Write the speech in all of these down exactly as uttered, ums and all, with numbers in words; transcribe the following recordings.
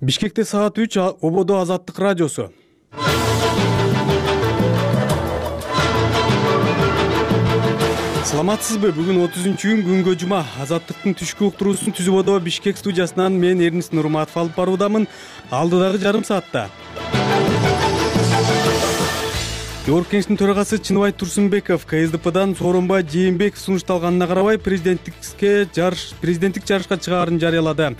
Бишкекте саат үч Ободо Азаттык радиосу. Саламатсызбы? Бүгүн отузунчу июнь күнгө жума. Азаттыктын түшкү уктуруусун түзүп одо Бишкек студиясынан мен Эрнис Нурматов алып баруудамын. Алдыдагы жарым саатта Жогорку Кеңештин төрагасы Чыныбай Турсунбеков ка эс дэ пэдан Сооронбай Жээнбеков сунушталганына карабай президенттикке жарыш президенттик жарышка чыгаарын жарыялады.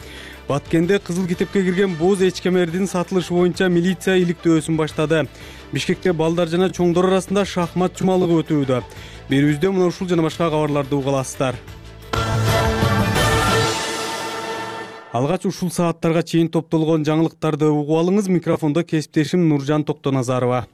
Баткенде Кызыл китепке кирген боз эчкемердин сатылышы боюнча милиция иликтөөсүн баштады. Бишкекте балдар жана чоңдор арасында шахмат жумалыгы өтүүдө. Берүүбүздө мына ушул жана башка кабарларды уга аласыздар. Алгач ушул сааттарга чейин топтолгон жаңылыктарды угуп алыңыз. Микрофондо кесиптешим Нуржан Токтоназарова.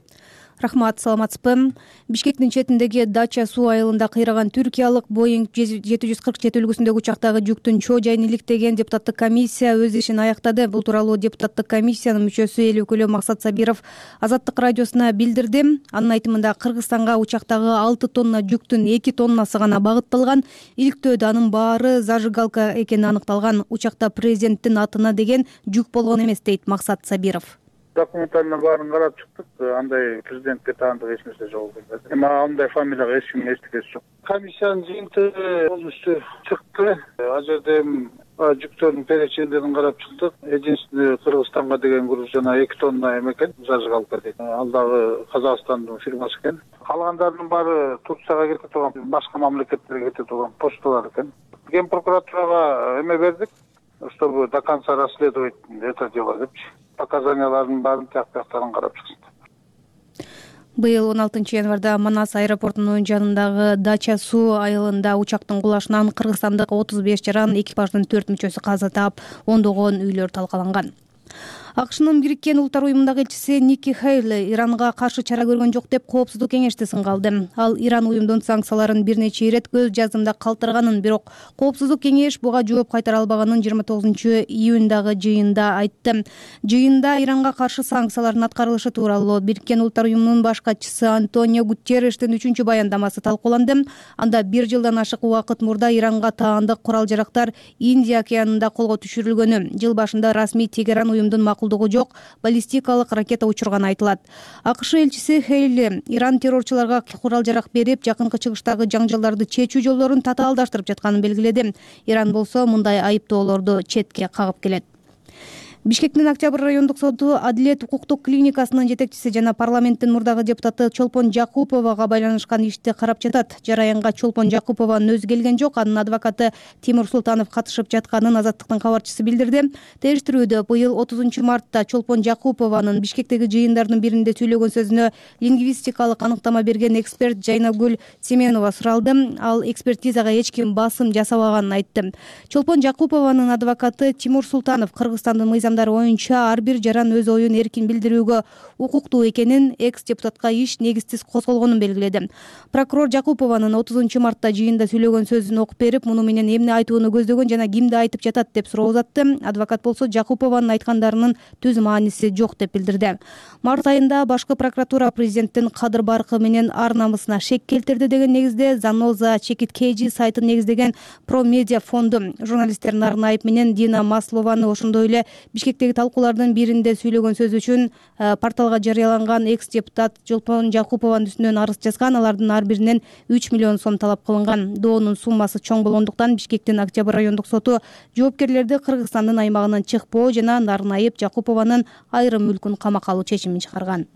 Рахмат, саламатсызбы? Бишкектин четиндеги Дача суу айылында кыйраган түркиялык Боинг жети жүз кырк жети үлгүсүндөгү учактагы жүктүн чоо жайын иликтеген депутаттык комиссия өз ишин аяктады. Бул тууралуу депутаттык комиссиянын мүчөсү эл өкүлү Максат Сабиров Азаттык радиосуна билдирди. Анын айтымында Кыргызстанга учактагы алты тонна жүктүн эки тоннасы гана багытталган. Иликтөөдө анын баары зажигалка экени аныкталган. Учакта президенттин атына деген жүк болгон эмес, дейт Максат Сабиров. Документалына баарын карап чыктык. Андай президентке таандык эч нерсе жок экен. Эми андай фамилияга эч ким эстигенчи жок. Комиссиянын жыйынтыгы полностью чыкты. Ал жерде жүктөрдүн перечендерин карап чыктык. Единственный Кыргызстанга деген груз жана эки тонна эме экен, зажигалка дейт. Ал дагы Казакстандын фирмасы экен. Калгандарынын баары Турцияга кетип турган, башка мамлекеттерге кетип турган почталар экен. Ген прокуратурага эме бердик, чтобы до конца расследовать это дело депчи. Показаниялардын баарын тияк-тияктарын карап чыксын. Быйыл он алтынчы январда Манас аэропортунун жанындагы Дача суу айылында учактын кулашынан кыргызстандык отуз беш жаран экипаждын төрт мүчөсү каза таап, ондогон үйлөр талкаланган. АКШнын Бириккен Улуттар уюмундагы элчиси Ники Хейли Иранга каршы чара көргөн жок деп Коопсуздук кеңешти сынга алды. Ал Иран уюмдун санкцияларын бир нече ирет көз жазымда калтырганын, бирок Коопсуздук кеңеш буга жооп кайтара албаганын жыйырма тогузунчу июньдагы жыйында айтты. Жыйында Иранга каршы санкциялардын аткарылышы тууралуу Бириккен Улуттар уюмунун баш катчысы Антонио Гутерриштин үчүнчү баяндамасы талкууланды. Анда бир жылдан ашык убакыт мурда Иранга таандык курал-жарактар Индия океанында колго түшүрүлгөнү, жыл башында расмий Тегеран уюмдун макулдугу жок баллистикалык ракета учурганы айтылат. АКШ элчиси Хейли Иран террорчуларга курал-жарак берип, жакынкы чыгыштагы жаңжалдарды чечүү жолдорун татаалдаштырып жатканын белгиледи. Иран болсо мындай айыптоолорду четке кагып келет. Бишкектин Октябрь райондук соту Адилет укуктук клиникасынын жетекчиси жана парламенттин мурдагы депутаты Чолпон Жакуповага байланышкан ишти карап жатат. Жараянга Чолпон Жакупованын өзү келген жок, анын адвокаты Тимур Султанов катышып жатканын Азаттыктын кабарчысы билдирди. Териштирүүдө быйыл отузунчу мартта Чолпон Жакупованын Бишкектеги жыйындардын биринде сүйлөгөн сөзүнө лингвистикалык аныктама берген эксперт Жайнагүл Семенова суралды. Ал экспертизага эч ким басым жасабаганын айтты. Чолпон Жакупованын адвокаты Тимур Султанов Кыргызстандын мыйзамдары оюнча ар бир жаран өз оюн эркин билдирүүгө укуктуу экенин, экс-депутатка иш негизсиз козголгонун белгиледи. Прокурор Жакупованын отузунчу мартта жыйында сүйлөгөн сөзүн окуп берип, муну менен эмне айтууну көздөгөн жана кимди айтып жатат деп суроо узатты. Адвокат болсо Жакупованын айткандарынын түз мааниси жок деп билдирди. Март айында башкы прокуратура президенттин кадыр баркы менен ар намысына шек келтирди деген негизде Заноза Чекиткейжи сайтын негиздеген Про Медиа фонду журналисттердин Арнайып менен Дина Маслованы, ошондой эле Бишкектеги талкуулардын биринде сүйлөгөн сөзү үчүн порталга жарыяланган экс-депутат Чолпон Жакупованын үстүнөн арыз жазган. Алардын ар биринен үч миллион сом талап кылынган. Доонун суммасы чоң болгондуктан Бишкектин Октябрь райондук соту жоопкерлерди Кыргызстандын аймагынан чыкпоо жана Нарнайып Жакупованын айрым мүлкүн камакка алуу чечимин чыгарган.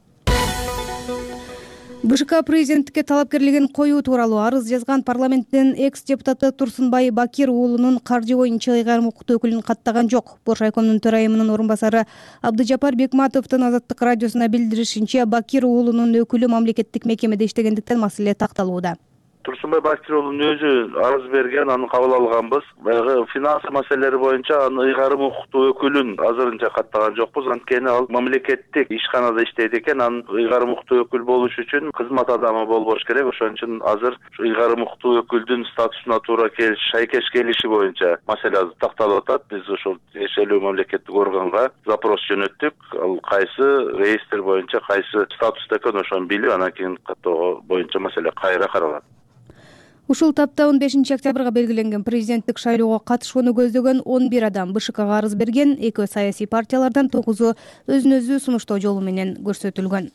БШК президенттикке талапкерлигин коюу тууралуу арыз жазган парламенттин экс-депутаты Турсунбай Бакир уулунун каржы боюнча ыйгарым укуктуу өкүлүн каттаган жок. Бош райкомдун төрайымынын орун басары Абдыжапар Бекматовдун Азаттык радиосуна билдиришинче, Бакир уулунун өкүлү мамлекеттик мекемеде иштегендиктен маселе такталууда. Турсунбай Бакир уулунун өзү арыз берген, аны кабыл алганбыз. Баягы финанс маселелери боюнча аны ыйгарым укуктуу өкүлүн азырынча каттаган жокпуз. Анткени ал мамлекеттик ишканада иштейт экен. Анын ыйгарым укуктуу өкүл болуш үчүн кызмат адамы болбош керек. Ошон үчүн азыр ыйгарым укуктуу өкүлдүн статусуна туура келиш, шайкеш келиши боюнча маселе такталып атат. Биз ошол тиешелүү мамлекеттик органга запрос жөнөттүк. Ал кайсы реестр боюнча кайсы статуста экен ошону билип, анан кийин каттоо боюнча маселе кайра каралат. Ушул тапта он бешинчи октябрга белгиленген президенттик шайлоого катышууну көздөгөн он бир адам БШКга арыз берген. Экөө саясий партиялардан тогузу өзүн өзү сунуштоо жолу менен көрсөтүлгөн.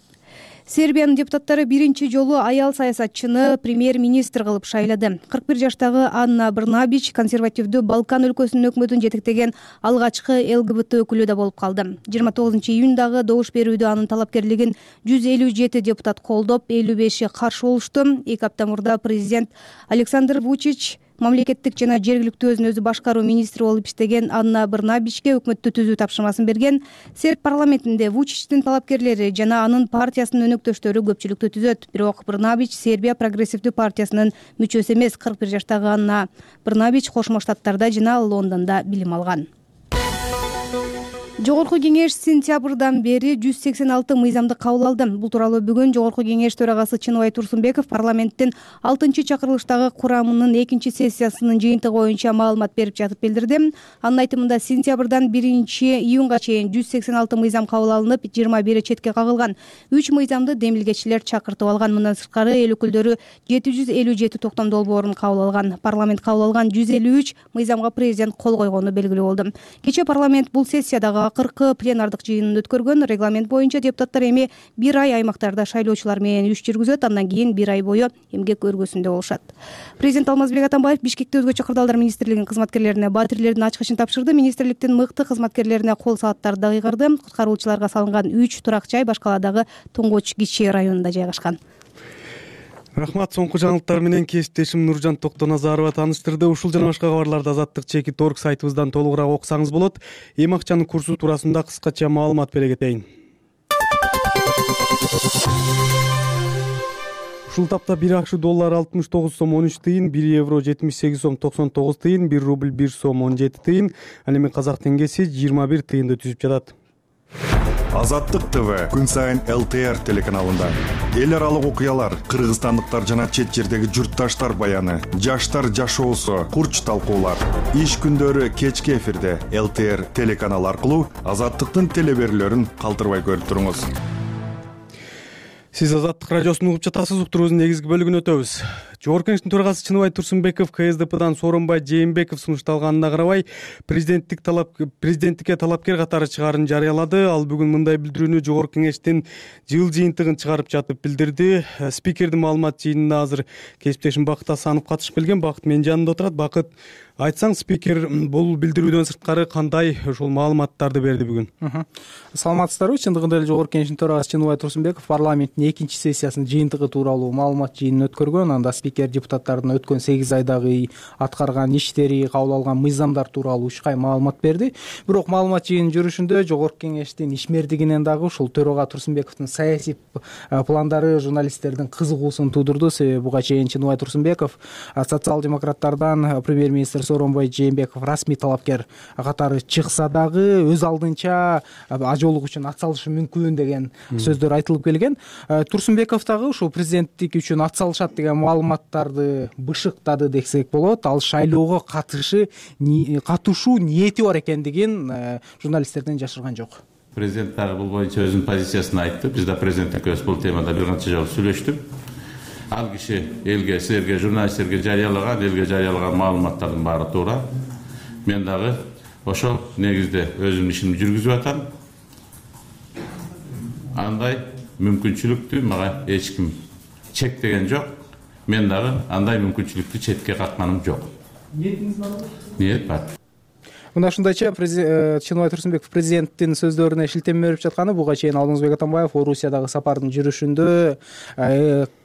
Сербиянын депутаттары биринчи жолу аял саясатчыны премьер-министр кылып шайлады. кырк бир жаштагы Анна Брнабич консервативдүү Балкан өлкөсүнүн өкмөтүн жетектеген алгачкы ЛГБТ өкүлү да болуп калды. жыйырма тогузунчу июндагы добуш берүүдө анын талапкерлигин жүз элүү жети депутат колдоп, элүү беши каршы болушту. Эки апта мурда президент Александр Вучич мамлекеттик жана жергиликтүү өзүн өзү башкаруу министри болуп иштеген Анна Брнабичке өкмөттү түзүү тапшырмасын берген. Серб парламентинде Вучичтин талапкерлери жана анын партиясынын өнөктөштөрү көпчүлүктү түзөт. Бирок Брнабич Сербия прогрессивдүү партиясынын мүчөсү эмес. кырк бир жаштагы Анна Брнабич Кошмо Штаттарда жана Лондондо билим алган. Жогорку кеңеш сентябрдан бери жүз сексен алты мыйзамды кабыл алды. Бул тууралуу бүгүн Жогорку кеңеш төрагасы Чыныбай Турсунбеков парламенттин алтынчы чакырылыштагы курамынын экинчи сессиясынын жыйынтыгы боюнча маалымат берип жатып билдирди. Анын айтымында сентябрдан биринчи июнга чейин жүз сексен алты мыйзам кабыл алынып, жыйырма бири четке кагылган. үч мыйзамды демилгечилер чакыртып алган. Мындан сырткары эл өкүлдөрү жети жүз элүү жети токтом долбоорун кабыл алган. Парламент кабыл алган жүз элүү үч мыйзамга президент кол койгону белгилүү болду. Кечээ парламент бул сессиядагы акыркы пленардык жыйынын өткөргөн. Регламент боюнча депутаттар эми бир ай аймактарда шайлоочулар менен иш жүргүзөт, андан кийин бир ай бою эмгек өргөсүндө болушат. Президент Алмазбек Атамбаев Бишкекте өзгөчө кырдаалдар министрлигинин кызматкерлерине батирлердин ачкычын тапшырды. Министрликтин мыкты кызматкерлерине кол сааттарды да кыйгырды. Куткаруучуларга салынган үч турак жай Башкалаадагы Тоңгоч кичи районунда жайгашкан. Рахмат. Соңку жаңылыктар менен кесиптешим Нуржан Токтоназарова тааныштырды. Ушул жана башка кабарларды Азаттык чекит орг сайтыбыздан толугураак окусаңыз болот. Эми акчанын курсу туурасында кыскача маалымат бере кетейин. Ушул тапта бир акш доллар алтымыш тогуз сом он үч тыйын, бир евро жетимиш сегиз сом токсон тогуз тыйын, бир рубль бир сом он жети тыйын, ал эми казак теңгеси жыйырма бир тыйынды түзүп жатат. Азаттык ТВ күн сайын эл тэ эр телеканалында эл аралык окуялар, кыргызстандыктар жана чет жердеги журтташтар баяны, жаштар жашоосу, курч талкуулар. Иш күндөрү кечки эфирде эл тэ эр телеканалы аркылуу Азаттыктын телеберүүлөрүн калтырбай көрүп туруңуз. Сиз Азаттык радиосун угуп жатасыз. Уктуруубуздун негизги бөлүгүнө өтөбүз. Жогорку кеңештин төрагасы Чыныбай Турсунбеков ка эс дэ пэдан Сооронбай Жээнбеков сунушталганына карабай президенттик талап президенттикке талапкер катары чыгаарын жарыялады. Ал бүгүн мындай билдирүүнү Жогорку кеңештин жыл жыйынтыгын чыгарып жатып билдирди. Спикердин маалымат жыйынына азыр кесиптешим Бакыт Асанов катышып келген. Бакыт менин жанымда отурат. Бакыт, айтсаң, спикер бул билдирүүдөн сырткары кандай ушул маалыматтарды берди бүгүн? Саламатсыздарбы? Чындыгында эле Жогорку кеңештин төрагасы Чыныбай Турсунбеков парламенттин экинчи сессиясынын жыйынтыгы тууралуу маалымат жыйынын өткөргөн. Анда спикер депутаттардын өткөн сегиз айдагы аткарган иштери, кабыл алган мыйзамдар тууралуу үч кай маалымат берди. Бирок маалымат жыйынынын жүрүшүндө Жогорку кеңештин ишмердигинен дагы ушул төрага Турсунбековдун саясий пландары журналисттердин кызыгуусун туудурду. Себеби буга чейин Чыныбай Турсунбеков социал-демократтардан премьер-министр Сооронбай Жээнбеков расмий талапкер катары чыкса дагы өз алдынча ажоолук үчүн ат салышы мүмкүн деген сөздөр айтылып келген. Турсунбеков дагы ушул президенттик үчүн ат салышат деген маалыматтарды бышыктады десек болот. Ал шайлоого катышы катышуу ниети бар экендигин журналисттерден жашырган жок. Президент дагы бул боюнча өзүнүн позициясын айтты. Биз да президент экөөбүз бул темада бир канча жолу сүйлөштүк. Ал киши элге, силерге, журналисттерге жарыялаган, элге жарыялаган маалыматтардын баары туура. Мен дагы ошол негизде өзүмдүн ишимди жүргүзүп атам. Андай мүмкүнчүлүктү мага эч ким чектеген жок. Мен дагы андай мүмкүнчүлүктү четке какканым жок. Ниетиңиз барбы? Ниет бар. Мына ушундайча Чыныбай Турсунбеков президенттин сөздөрүнө шилтеме берип жатканы. Буга чейин Алмазбек Атамбаев Орусиядагы сапардын жүрүшүндө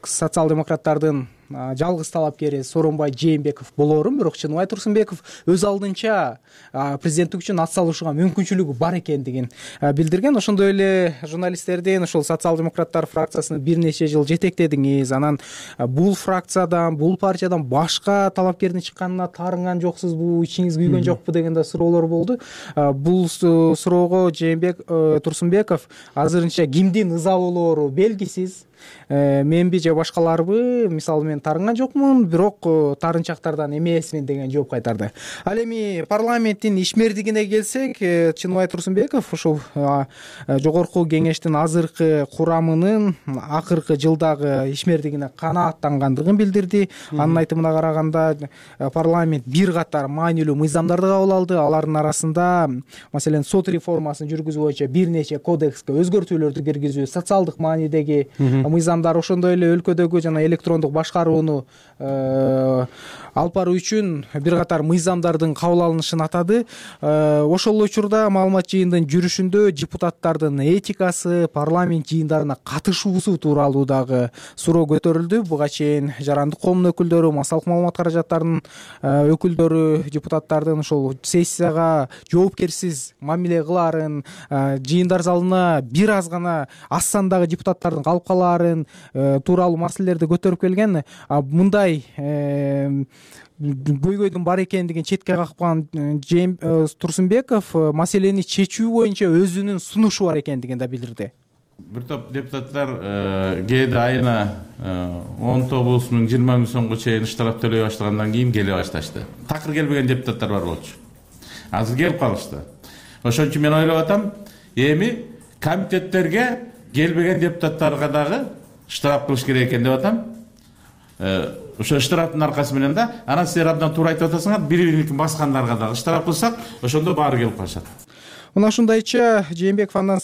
социал-демократтардын жалгыз талапкери Сооронбай Жээнбеков болоорун, бирок Чыныбай Турсунбеков өз алдынча президенттик үчүн ат салышууга мүмкүнчүлүгү бар экендигин билдирген. Ошондой эле журналисттердин ушул социал-демократтар фракциясына бир нече жыл жетектедиңиз, анан бул фракциядан, бул партиядан башка талапкердин чыкканына таарынган жоксузбу, ичиңиз күйгөн жокпу деген да суроолор болду. Бул суроого Жээнбек Турсунбеков азырынча кимдин ыза болоору белгисиз, менби же башкаларбы, мисалы мен таарынган жокмун, бирок таарынчактардан эмесмин деген жооп кайтарды. Ал эми парламенттин ишмердигине келсек, Чыныбай Турсунбеков ушул жогорку кеңештин азыркы курамынын акыркы жылдагы ишмердигине канааттангандыгын билдирди. Анын айтымына караганда парламент бир катар маанилүү мыйзамдарды кабыл алды. Алардын арасында маселен сот реформасын жүргүзүү боюнча бир нече кодекске өзгөртүүлөрдү киргизүү, социалдык маанидеги мыйзамдар, ошондой эле өлкөдөгү жана электрондук башкарууну алып баруу үчүн бир катар мыйзамдардын кабыл алынышын атады. Ошол учурда маалымат жыйындын жүрүшүндө депутаттардын этикасы, парламент жыйындарына катышуусу тууралуу дагы суроо көтөрүлдү. Буга чейин жарандык коомдун өкүлдөрү, массалык маалымат каражаттарынын өкүлдөрү депутаттардын ошол сессияга жоопкерсиз мамиле кылаарын, жыйындар залына бир аз гана аз сандагы депутаттардын калып калаарын тууралуу маселелерди көтөрүп келген. Мындай көйгөйдүн бар экендигин четке каккан Турсунбеков маселени чечүү боюнча өзүнүн сунушу бар экендигин да билдирди. Бир топ депутаттар кээде айына он тогуз миң жыйырма миң сомго чейин штраф төлөй баштагандан кийин келе башташты. Такыр келбеген депутаттар бар болчу. Азыр келип калышты. Ошон үчүн мен ойлоп атам, эми комитеттерге келбеген депутаттарга дагы штраф кылыш керек экен деп атам. Ошо штрафтын аркасы менен да, анан силер абдан туура айтып атасыңар, бири-бирин баскандарга дагы штраф кылсак, ошондо баары келип калышат. Мына ушундайча Жээнбеков андан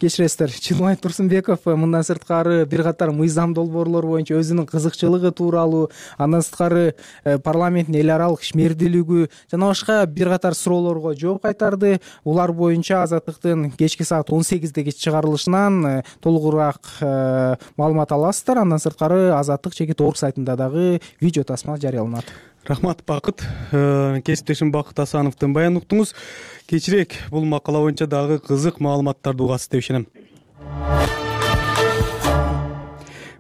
кечиресиздер, Чыныбай Турсунбеков мындан сырткары бир катар мыйзам долбоорлор боюнча өзүнүн кызыкчылыгы тууралуу, андан сырткары парламенттин эл аралык ишмердүүлүгү жана башка бир катар суроолорго жооп кайтарды. Улар боюнча Азаттыктын кечки саат он сегиздеги чыгарылышынан толугураак маалымат аласыздар. Андан сырткары Азаттык чекит орг сайтында дагы видео тасма жарыяланат. Рахмат, Бакыт. Кесиптешим Бакыт Асановдун баянын уктуңуз. Кечирээк бул макала боюнча дагы кызык маалыматтарды угасыз деп ишенем.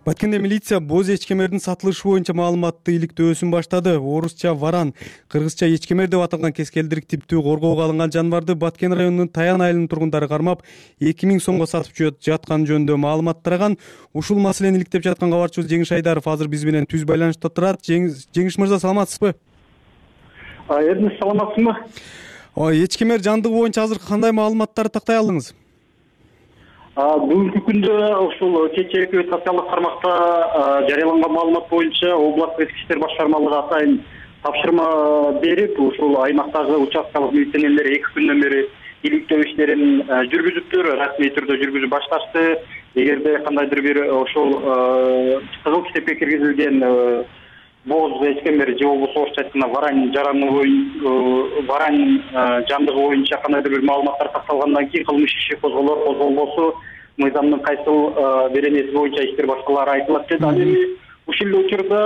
Баткенде милиция боз эчкемердин сатылышы боюнча маалыматты иликтөөсүн баштады. Орусча варан, кыргызча эчкемер деп аталган кескелдирик типтүү коргоого алынган жаныбарды Баткен районунун Таян айылынын тургундары кармап эки миң сомго сатып жаткан жөнүндө маалымат тараган. Ушул маселени иликтеп жаткан кабарчыбыз Жеңиш Айдаров азыр биз менен түз байланышта турат. Жеңиш мырза, саламатсызбы? Эрдиңиз саламатсызбы? Эчкемер жандыгы боюнча азыр кандай маалыматтарды тактай алдыңыз? Бүгүнкү күндө ушул кечээки социалдык тармакта жарыяланган маалымат боюнча областтык ички иштер башкармалыгы атайын тапшырма берип, ушул аймактагы участкалык милиционерлер эки күндөн бери иликтөө иштерин жүргүзүптүр, расмий түрдө жүргүзүп башташты. Эгерде кандайдыр бир ошол кызыл китепке киргизилген боз эчкемер же болбосо орусча айтканда варань жараны варань жандыгы боюнча кандайдыр бир маалыматтар такталгандан кийин кылмыш иши козголор, козголбосу мыйзамдын кайсыл беренеси боюнча иштер башкалары айтылат деди. Ал эми ушул эле учурда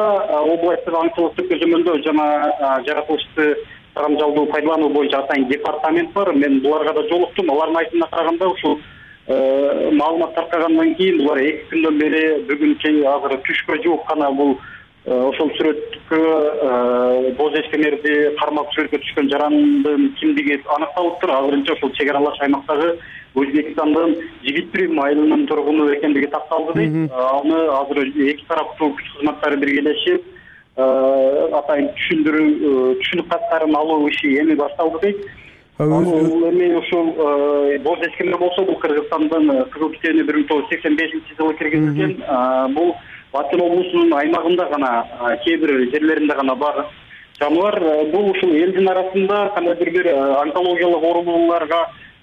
областтык аңчылыктык көзөмөлдөө жана жаратылышты карамжалдуу пайдалануу боюнча атайын департамент бар. Мен буларга да жолуктум. Алардын айтымына караганда ушул маалымат таркагандан кийин булар эки күндөн бери бүгүнкү азыр түшкө жууп гана бул ошол сүрөткө боз эчкемерди кармап сүрөткө түшкөн жарандын кимдиги аныкталыптыр. Азырынча ошол чек аралаш аймактагы Өзбекстандын Жигитбирим айылынын тургуну экендиги такталды дейт. Аны азыр эки тараптуу күч кызматтары биргелешип атайын түшүндүрүү түшүнүк каттарын алуу иши эми башталды дейт. Ал эми ошол боз эчкемер болсо бул Кыргызстандын кызыл китебине бир миң тогуз жүз сексен бешинчи жылы киргизилген. Бул Баткен облусунун аймагында гана, кээ бир жерлеринде гана бар жаныбар. Бул ушул элдин арасында кандайдыр бир онкологиялык оорулууларга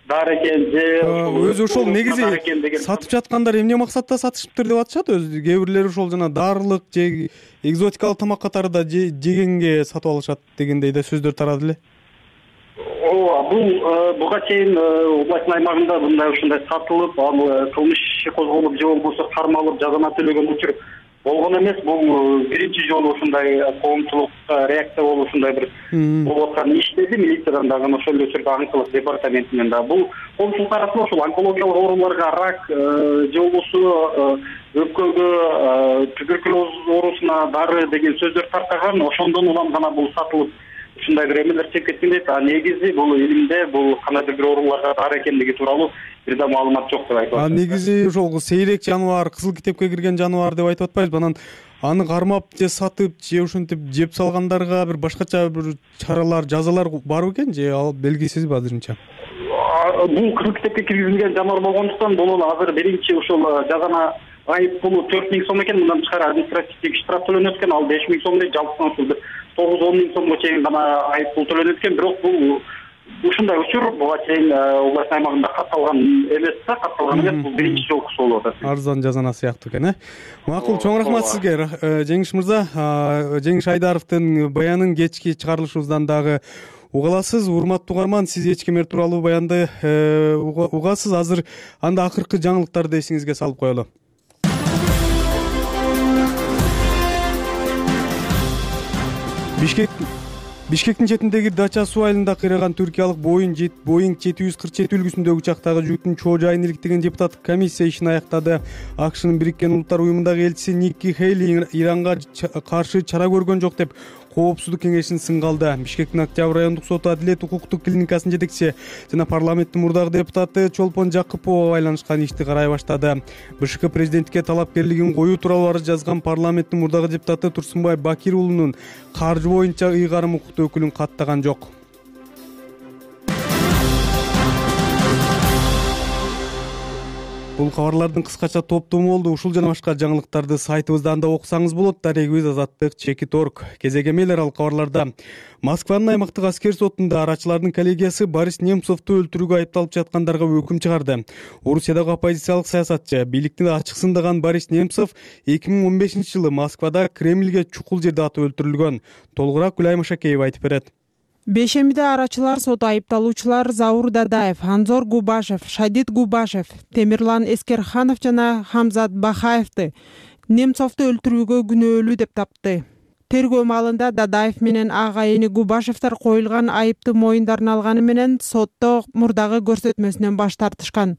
дары экен же өзү ошол негизи сатып жаткандар эмне максатта сатышыптыр деп атышат. Өзү кээ бирлери ошол жана дарылык же экзотикалык тамак катары да жегенге сатып алышат дегендей да сөздөр тарады эле. Ооба, бул буга чейин областтын аймагында мындай ушундай сатылып, ал кылмыш иши козголуп же болбосо кармалып жазана төлөгөн учур болгон эмес. Бул биринчи жолу ушундай коомчулукка реакция болуп ушундай бир болуп аткан иш деди. Милициядан дагы ошол эле учурда аңчылык департаментинен да бул коомчулук арасында ошол онкологиялык ооруларга, рак же болбосо өпкөгө, туберкулез оорусуна дары деген сөздөр таркаган. Ошондон улам гана бул сатылып ушундай бир эмелер чыгып кеткендей. А негизи бул элимде бул кандайдыр бир ооруларга бар экендиги тууралуу бир да маалымат жок деп айтып А атат. негизи ошол сейрек жаныбар, кызыл китепке кирген жаныбар деп айтып атпайбызбы? Анан аны кармап же сатып же ушинтип жеп салгандарга бир башкача бир чаралар, жазалар барбы экен же ал белгисизби азырынча? Бул кызыл китепке киргизилген жаныбар болгондуктан бунун азыр биринчи ушул жазана айып пулу төрт миң сом экен. Мындан тышкары административдик штраф төлөнөт экен. Ал беш миң сом дейт. Жалпысынан ушул бир тогуз он миң сомго чейин гана айып пул төлөнөт экен. Бирок бул ушундай учур буга чейин область аймагында катталган эмес да, катталган эмес. Бул биринчи жолкусу болуп атат. Арзан жазана сыяктуу экен, э? Макул, чоң рахмат сизге, Жеңиш мырза. Жеңиш Айдаровдун баянын кечки чыгарылышыбыздан дагы уга аласыз. Урматтуу угарман, сиз эч кемер тууралуу баянды угасыз. Азыр анда акыркы жаңылыктарды эсиңизге салып коелу. Бишкек Бишкектин четиндеги Дача-Суу айылында кыйраган түркиялык Боeing жети жүз кырк жети үлгүсүндөгү учактагы жүктүн чоо жайын иликтеген депутаттык комиссия ишин аяктады. АКШнын Бириккен Улуттар уюмундагы элчиси Никки Хейли Иранга каршы чара көргөн жок деп Коопсуздук кеңешин сынга алды. Бишкектин Октябрь райондук соту Адилет укуктук клиникасынын жетекчиси жана парламенттин мурдагы депутаты Чолпон Жакыпова байланышкан ишти карай баштады. БШК президентке талапкерлигин коюу тууралуу арыз жазган парламенттин мурдагы депутаты Турсунбай Бакир уулунун каржы боюнча ыйгарым укуктуу өкүлүн каттаган жок. Бул кабарлардын кыскача топтому болду. Ушул жана башка жаңылыктарды сайтыбыздан да окусаңыз болот. Дарегибиз азаттык чекит орг. Кезек эмелер ал кабарларда. Москванын аймактык аскер сотунда арачылардын коллегиясы Борис Немцовду өлтүрүүгө айыпталып жаткандарга өкүм чыгарды. Орусиядагы оппозициялык саясатчы, бийликти ачык сындаган Борис Немцов эки миң он бешинчи жылы Москвада Кремльге чукул жерде атып өлтүрүлгөн. Толугураак Гүлай Машакеева айтып берет. Бешемиде арачылар соту айыпталуучулар Заур Дадаев, Анзор Губашев, Шадид Губашев, Темирлан Эскерханов жана Хамзат Бахаевди Немцовду өлтүрүүгө күнөөлүү деп тапты. Тергөө маалында Дадаев менен агайыны Губашевдер коюлган айыпты моюндарын алганы менен сотто мурдагы көрсөтмөсүнөн баш тартышкан.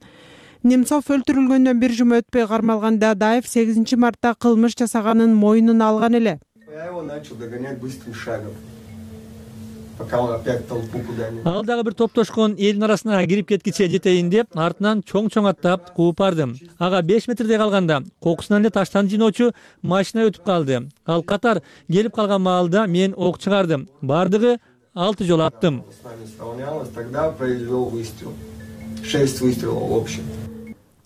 Немцов өлтүрүлгөндөн бир жума өтпөй кармалган Дадаев сегизинчи мартта кылмыш жасаганын мойнуна алган эле. Ал дагы бир топтошкон элдин арасына кирип кеткиче жетейин деп, артынан чоң-чоң аттап кууп бардым. Ага беш метрдей калганда кокусунан эле таштан жыйноочу машина өтүп калды. Ал катар келип калган маалда мен ок чыгардым. Бардыгы алты жолу аттым.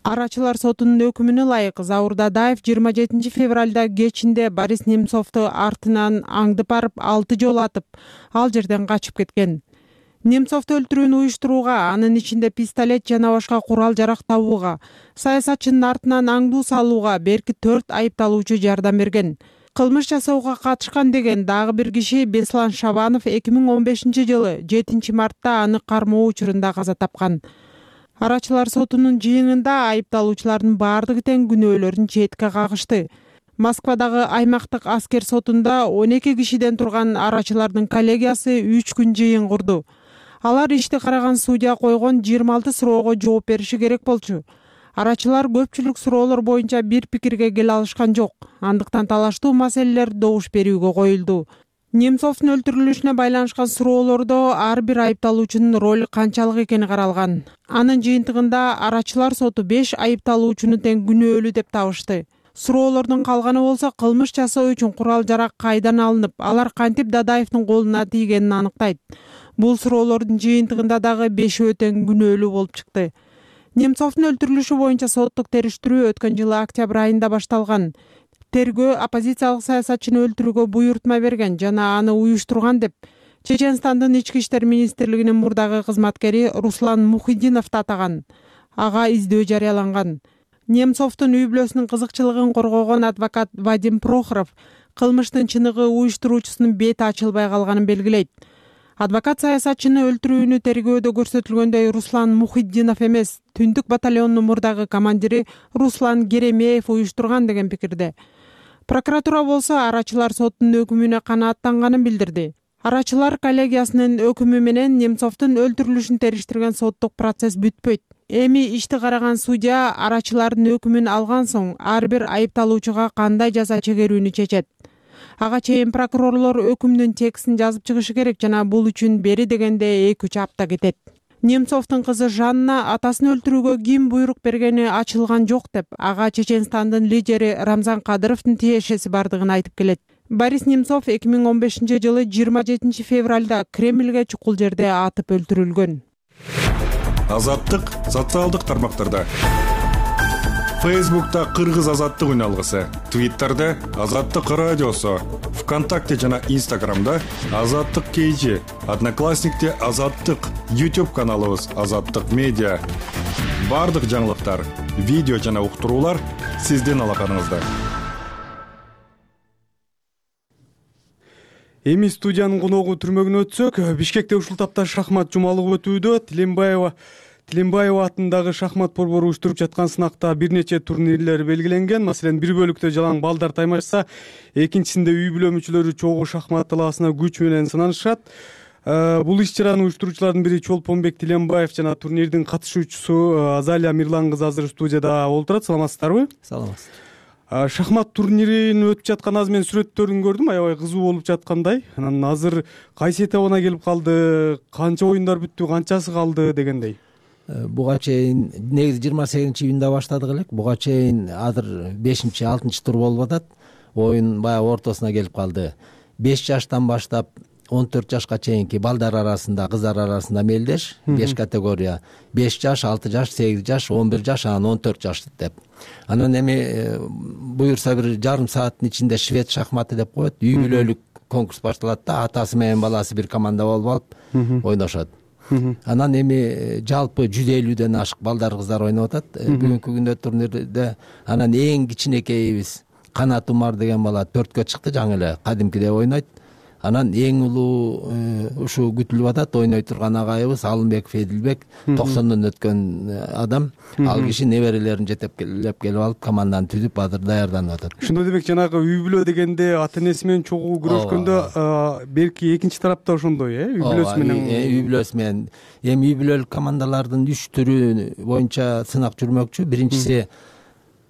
Арачылар сотунун өкүмүнө ылайык Заур Дадаев жыйырма жетинчи февралда кечинде Борис Немцовду артынан аңдып барып алты жолу атып, ал жерден качып кеткен. Немцовду өлтүрүүнү уюштурууга, анын ичинде пистолет жана башка курал-жарак табууга, саясатчынын артынан аңдуу салууга берки төрт айыпталуучу жардам берген. Кылмыш жасоого катышкан деген дагы бир киши Беслан Шабанов эки миң он бешинчи жылы жетинчи мартта аны кармоо учурунда каза тапкан. Арачылар сотунун жыйынында айыпталуучулардын баардыгы тең күнөөлөрүн четке кагышты. Москвадагы аймактык аскер сотунда он эки кишиден турган арачылардын коллегиясы үч күн жыйын курду. Алар ишти караган судья койгон жыйырма алты суроого жооп бериши керек болчу. Арачылар көпчүлүк суроолор боюнча бир пикирге келе алышкан жок. Андыктан талаштуу маселелер добуш берүүгө коюлду. Немцовдун өлтүрүлүшүнө байланышкан суроолордо ар бир айыпталуучунун ролу канчалык экени каралган. Анын жыйынтыгында арачылар соту беш айыпталуучуну тең күнөөлүү деп табышты. Суроолордун калганы болсо кылмыш жасоо үчүн курал-жарак кайдан алынып, алар кантип Дадаевдин колуна тийгенин аныктайт. Бул суроолордун жыйынтыгында дагы бешөө тең күнөөлүү болуп чыкты. Немцовдун өлтүрүлүшү боюнча соттук териштирүү өткөн жылы октябрь айында башталган. Тергөө оппозициялык саясатчыны өлтүрүүгө буйрутма берген жана аны уюштурган деп Чеченстандын ички иштер министрлигинин мурдагы кызматкери Руслан Мухиддиновду атаган. Ага издөө жарыяланган. Немцовдун үй бүлөсүнүн кызыкчылыгын коргогон адвокат Вадим Прохоров кылмыштын чыныгы уюштуруучусунун бети ачылбай калганын белгилейт. Адвокат саясатчыны өлтүрүүнү тергөөдө көрсөтүлгөндөй Руслан Мухиддинов эмес, Түндүк батальонунун мурдагы командири Руслан Геремеев уюштурган деген пикирде. Прокуратура болсо арачылар соттун өкүмүнө канааттанганын билдирди. Арачылар коллегиясынын өкүмү менен Немцовдун өлтүрүлүшүн териштирген соттук процесс бүтпөйт. Эми ишти караган судья арачылардын өкүмүн алган соң ар бир айыпталуучуга кандай жаза чегерүүнү чечет. Ага чейин прокурорлор өкүмдүн текстин жазып чыгышы керек жана бул үчүн бери дегенде эки үч апта кетет. Немцовдун кызы Жанна атасын өлтүрүүгө ким буйрук бергени ачылган жок деп, ага Чеченстандын лидери Рамзан Кадыровдун тиешеси бардыгын айтып келет. Борис Немцов эки миң он бешинчи жылы жыйырма жетинчи февралда Кремльге чукул жерде атып өлтүрүлгөн. Азаттык социалдык тармактарда. Фейсбукта Кыргыз азаттык үн алгысы, Твиттерде Азаттык радиосу, ВКонтакте жана Инстаграмда Азаттык кейжи, Одноклассникте Азаттык, YouTube каналыбыз Азаттык медиа. Бардык жаңылыктар, видео жана уктуруулар сиздин алаканыңызда. Эми студиянын коногу түрмөгүнө өтсөк, Бишкекте ушул тапта шахмат жумалыгы өтүүдө. Тилембаева Тилембаева атындагы шахмат борбору уюштуруп жаткан сынакта бир нече турнирлер белгиленген. Маселен, бир бөлүктө жалаң балдар таймашса, экинчисинде үй бүлө мүчөлөрү чогуу шахмат талаасына күч менен сынанышат. Бул иш-чараны уюштуруучулардын бири Чолпонбек Тилембаев жана турнирдин катышуучусу Азалия Мирлан кызы азыр студияда олтурат. Саламатсыздарбы? Саламатсыз. Шахмат турнирин өтүп жаткан азыр мен сүрөттөрүн көрдүм, аябай кызуу болуп жаткандай. Анан азыр кайсы этабына келип калды, канча оюндар бүттү, канчасы калды дегендей. Буга чейин негизи жыйырма сегизинчи июнда баштадык элек. Буга чейин азыр бешинчи алтынчы тур болуп атат. Оюн баягы ортосуна келип калды. беш жаштан баштап он төрт жашка чейинки балдар арасында, кыздар арасында мелдеш, беш категория. беш жаш, алты жаш, сегиз жаш, он бир жаш, анан он төрт жаш деп. Анан эми буюрса бир жарым сааттын ичинде швед шахматы деп коет. Үй бүлөлүк конкурс башталат да, атасы менен баласы бир команда болуп алып ойношот. Анан эми жалпы жүз элүүдөн ашык балдар, кыздар ойноп атат. Бүгүнкү күндө турнирде анан эң кичинекейибиз Канат Умар деген бала төрткө чыкты, жаңы эле кадимкидей ойнойт. Анан эң улуу ушу күтүлүп атат, ойной турган агайыбыз Алымбек Федилбек, токсондон өткөн адам. Ал киши неберелерин жетектеп келип алып, команданы түзүп азыр даярданып атат. Ошондо демек жанагы үй бүлө дегенде ата энеси менен чогуу күрөшкөндө берки экинчи тарапта ошондой, э, үй бүлөсү менен. Үй бүлөсү менен. Эми үй бүлөлүк командалардын үч түрү боюнча сынак жүрмөкчү. Биринчиси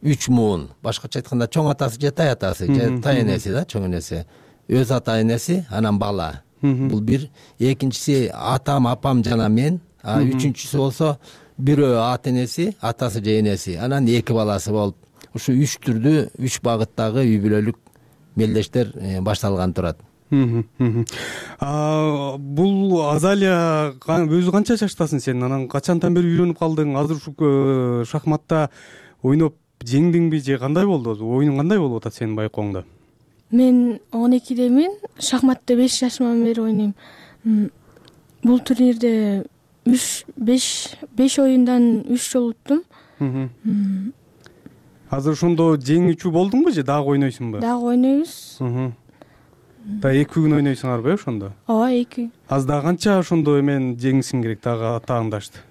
үч муун, башкача айтканда чоң атасы же тай атасы, же тай энеси да, чоң энеси. Өз ата энеси, анан бала. Бул бир. Экинчиси атам, апам жана мен. А үчүнчүсү болсо бирөө ата энеси, атасы же энеси, анан эки баласы болуп, ушу үч түрдүү, үч багыттагы үй бүлөлүк мелдештер башталган турат. Бул Азалия өзү канча жаштасың сен? Анан качантан бери үйрөнүп калдың? Азыр ушу шахматта ойноп жеңдиңби же кандай болду? Оюнуң кандай болуп атат сенин байкооңдо? Мен он экидемин. Шахматты беш жашыман бери ойнойм. Бул турнирде үч беш оюндан үч жолу уттум. Азыр ошондо жеңүүчү болдуңбу же дагы ойнойсуңбу? Дагы ойнойбуз. Да эки күн ойнойсуңарбы ошондо? Ооба, эки. Азыр дагы канча ошондо эмен жеңишиң керек, дагы атааңдашты?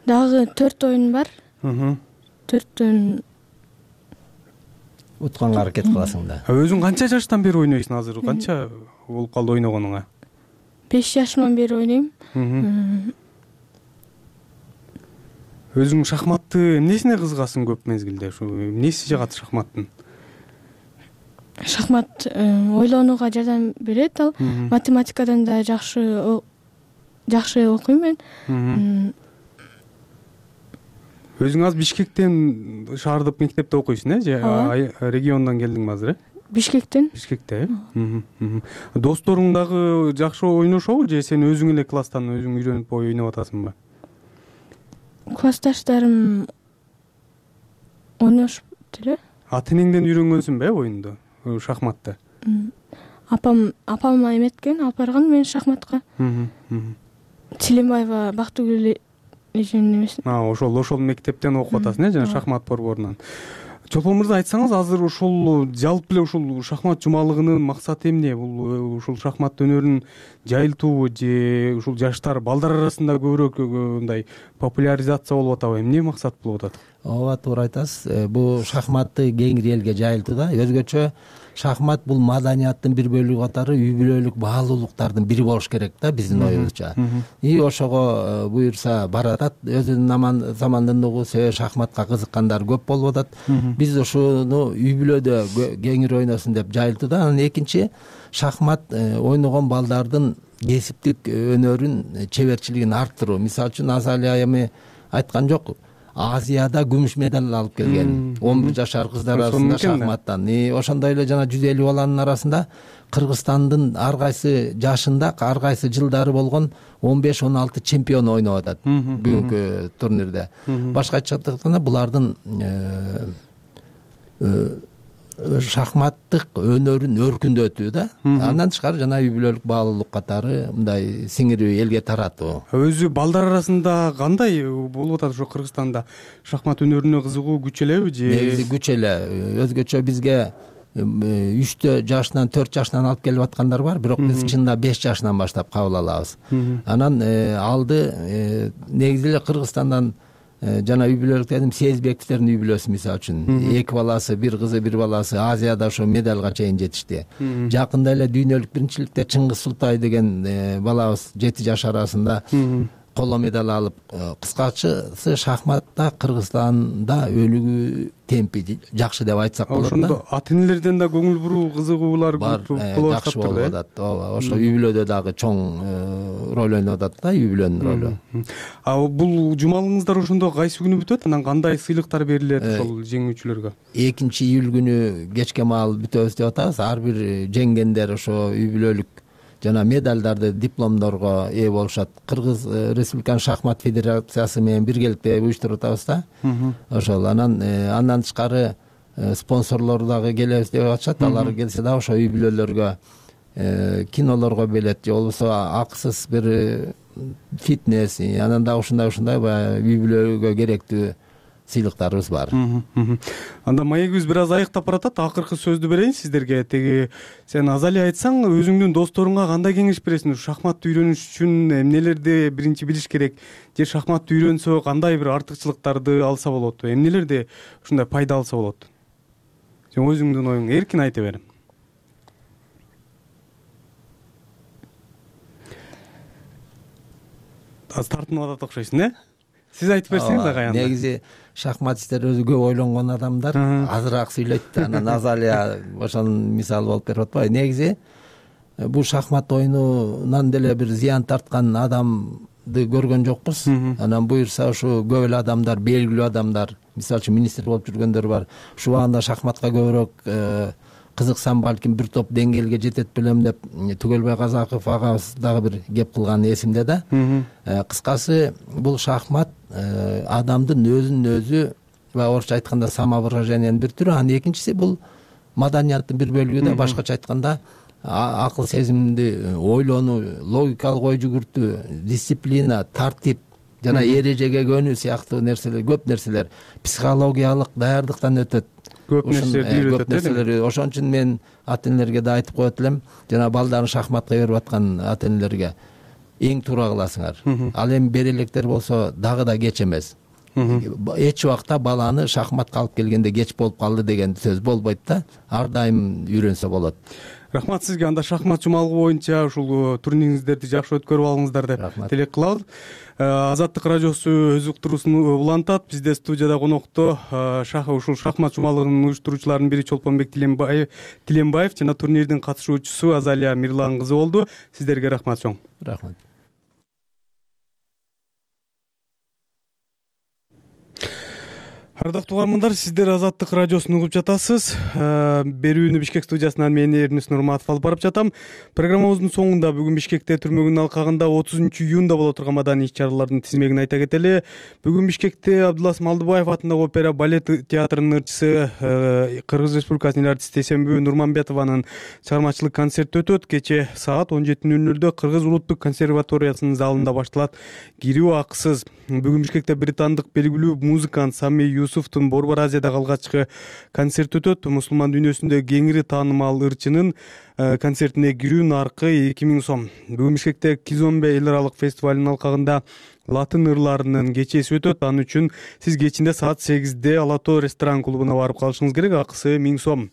Дагы төрт оюн бар. төрттөн утканга аракет кыласың да. Өзүң канча жаштан бери ойнойсуң азыр? Канча болуп калды ойногонуңа? беш жашыман бери ойнойм. Өзүң шахматты эмнесине кызыгасың көп мезгилде? Ушу эмнеси жагат шахматтын? Шахмат ойлонууга жардам берет ал. Математикадан да жакшы жакшы окуйм мен. Өзүң азыр Бишкектен шаардык мектепте окуйсуң, э? Же региондон келдиңби азыр, э? Бишкектен. Бишкекте, э? Досторуң дагы жакшы ойношобу же сен өзүң эле класстан өзүң үйрөнүп ойноп атасыңбы? Классташтарым ойношуп эле. Ата энеңден үйрөнгөнсүңбү оюнду, шахматты? Апам, апам эметкен, алып барган мен шахматка. Тилембаева Бактыгүл ошол ошол мектептен окуп атасың, э, жана шахмат борборунан. Чолпон мырза, айтсаңыз, азыр ушул жалпы эле ушул шахмат жумалыгынын максаты эмне? Бул ушул шахмат өнөрүн жайылтуубу же ушул жаштар, балдар арасында көбүрөөк мындай популяризация болуп атабы? Эмне максат болуп атат? ооба, туура айтасыз. Бул шахматты кеңири элге жайылтуу да. Өзгөчө шахмат бул маданияттын бир бөлүгү катары үй бүлөлүк баалуулуктардын бири болуш керек да, биздин оюбузча. И ошого буюрса баратат. Өзүнүн заманында угу шахматка кызыккандар көп болуп атат. Биз ушуну үй бүлөдө кеңири ойносун деп жайылтуу да. Анан экинчи, шахмат ойногон балдардын кесиптик өнөрүн, чеберчилигин арттыруу. Мисалы үчүн Азалия эми айткан жок, Азияда күмүш медаль алып келген он бир жашар кыздар арасында шахматтан. Ошондой эле жана жүз элүү баланын арасында Кыргызстандын ар кайсы жашында, ар кайсы жылдары болгон он беш он алты чемпион ойноп атат бүгүнкү турнирде. Башкача айтканда булардын шахматтык өнөрүн өркүндөтүү да. Андан тышкары жана үй бүлөлүк баалуулук катары мындай сиңирип элге таратуу. Өзү балдар арасында кандай болуп атат? Ошо Кыргызстанда шахмат өнөрүнө кызыгуу күч элеби же? Негизи күч эле. Өзгөчө бизге үчтө жашынан, төрт жашынан алып келип аткандар бар, бирок биз чынында беш жашынан баштап кабыл алабыз. Анан алды негизи эле Кыргызстандан жана үй бүлөлүк дедим, Сезбековдердин үй бүлөсү мисалы үчүн эки баласы, бир кызы, бир баласы Азияда ошо медалга чейин жетишти. Жакында эле дүйнөлүк биринчиликте Чыңгыз Султай деген балабыз жети жаш арасында коло медаль алып. Кыскачасы шахматта Кыргызстанда өнүгүү темпи жакшы деп айтсак болот да. Ошондо ата энелерден да көңүл буруу, кызыгуулар көп болуп атат. Ооба, ошо үй бүлөдө дагы чоң роль ойноп атат да, үй бүлөнүн ролу. А бул жумалыңыздар ошондо кайсы күнү бүтөт? Анан кандай сыйлыктар берилет ошол жеңүүчүлөргө? экинчи июль күнү кечке маал бүтөбүз деп атабыз. Ар бир жеңгендер ошо үй бүлөлүк жана медалдарды, дипломдорго ээ болушат. Кыргыз Республиканын шахмат федерациясы менен биргеликте уюштуруп атабыз да. Ошол анан андан тышкары спонсорлор дагы келебиз деп атышат. Алар келсе да ошо үй бүлөлөргө кинолорго билет же болбосо акысыз бир фитнес, анан дагы ушундай ушундай баягы үй бүлөгө керектүү сыйлыктарыбыз бар. Анда маегибиз бир аз айыктап баратат. Акыркы сөздү берейин сиздерге. Теги сен Азалия айтсаң, өзүңдүн досторуңа кандай кеңеш бересиң? Шахматты үйрөнүш үчүн эмнелерди биринчи билиш керек? Же шахматты үйрөнсө кандай бир артыкчылыктарды алса болот? Эмнелерди ушундай пайда алса болот? Сен өзүңдүн оюңду эркин айта бер. Аз тартынып атат окшойсуң, э? Сиз айтып берсеңиз ага анда. Негизи шахматисттер өзү көп ойлонгон адамдар, азыраак сүйлөйт. Анан Азалия ошонун мисалы болуп берип атпайбы? Негизи бул шахмат оюнунан деле бир зыян тарткан адамды көргөн жокпуз. Анан буюрса ушу көп эле адамдар, белгилүү адамдар, мисалы үчүн министр болуп жүргөндөр бар. Ушул убагында шахматка көбүрөөк кызыксам, балким бир топ деңгээлге жетет белем деп Түгөлбай Казаков агабыз дагы бир кеп кылган эсимде да. Кыскасы бул шахмат адамдын өзүнүн өзү, орусча айтканда, самовыражениянын бир түрү. Анан экинчиси бул маданияттын бир бөлүгү да. Башкача айтканда акыл сезимди ойлонуу, логикалык ой жүгүртүү, дисциплина, тартип жана эрежеге көнүү сыяктуу нерселер, көп нерселер психологиялык даярдыктан өтөт. Көп нерселер. Ошон үчүн мен ата энелерге да айтып коет элем, жана балдарын шахматка берип аткан ата энелерге эң туура кыласыңар. Ал эми бере электер болсо дагы да кеч эмес. Эч убакта баланы шахматка алып келгенде кеч болуп калды деген сөз болбойт да. Ар дайым үйрөнсө болот. Рахмат сизге. Анда шахмат жумалыгы боюнча ушул турнириңиздерди жакшы өткөрүп алыңыздар деп тилек кылабыз. Азаттык радиосу өз уктуруусун улантат. Бизде студияда конокто ушул шахмат жумалыгынын уюштуруучуларынын бири Чолпонбек Тиленбаев жана турнирдин катышуучусу Азалия Мирлан кызы болду. Сиздерге рахмат чоң. Рахмат. Ардактуу угармандар, сиздер Азаттык радиосун угуп жатасыз. Берүүнү Бишкек студиясынан мен Эрнис Нурматов алып барып жатам. Программабыздын соңунда бүгүн Бишкекте түрмөгүнүн алкагында отузунчу июнда боло турган маданий иш-чаралардын тизмегин айта кетели. Бүгүн Бишкекте Абдулас Малдыбаев атындагы опера балет театрынын ырчысы, Кыргыз Республикасынын артисти Эсенбүү Нурманбетованын чыгармачылык концерти өтөт. Кече саат он жети нөл нөлдө Кыргыз Улуттук консерваториясынын залында башталат. Кирүү акысыз. Бүгүн Бишкекте британдык белгилүү музыкант Сами Юсуфтун Борбор Азиядагы алгачкы концерти өтөт. Мусулман дүйнөсүндө кеңири таанымал ырчынын концертине кирүү наркы эки миң сом. Бүгүн Бишкекте Кизомбе эл аралык фестивалынын алкагында латын ырларынын кечеси өтөт. Ал үчүн сиз кечинде саат сегизде Ала Тоо ресторан клубуна барып калышыңыз керек. Акысы миң сом.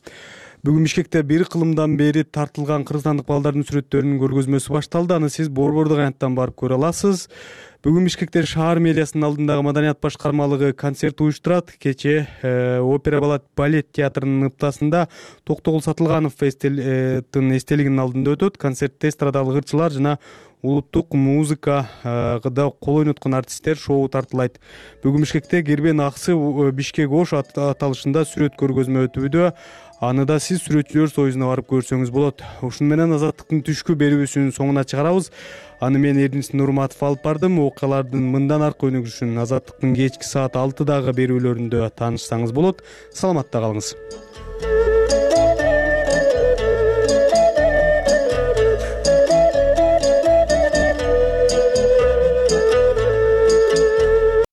Бүгүн Бишкекте бир кылымдан бери тартылган кыргызстандык балдардын сүрөттөрүнүн көргөзмөсү башталды. Аны сиз борбордук аянттан барып көрө аласыз. Бүгүн Бишкекте шаар мэриясынын алдындагы маданият башкармалыгы концерт уюштурат. Кечээ Опера балет театрынын ыптасында Токтогул Сатылгановдун эстелигинин алдында өтөт. Концертте эстрадалык ырчылар жана улуттук музыкада кол ойноткон артисттер шоу тартылайт. Бүгүн Бишкекте Кербен Аксы Бишкек Ош аталышында сүрөт көргөзмө өтүүдө. Аны да сиз сүрөтчүлөр союзуна барып көрсөңүз болот. Ушуну менен Азаттыктын түшкү берүүсүнүн соңуна чыгарабыз. Аны мен Эрдинис Нурматов алып бардым. Окуялардын мындан аркы өнүгүшүн Азаттыктын кечки саат алтыдагы берүүлөрүндө таанышсаңыз болот. Саламатта калыңыз.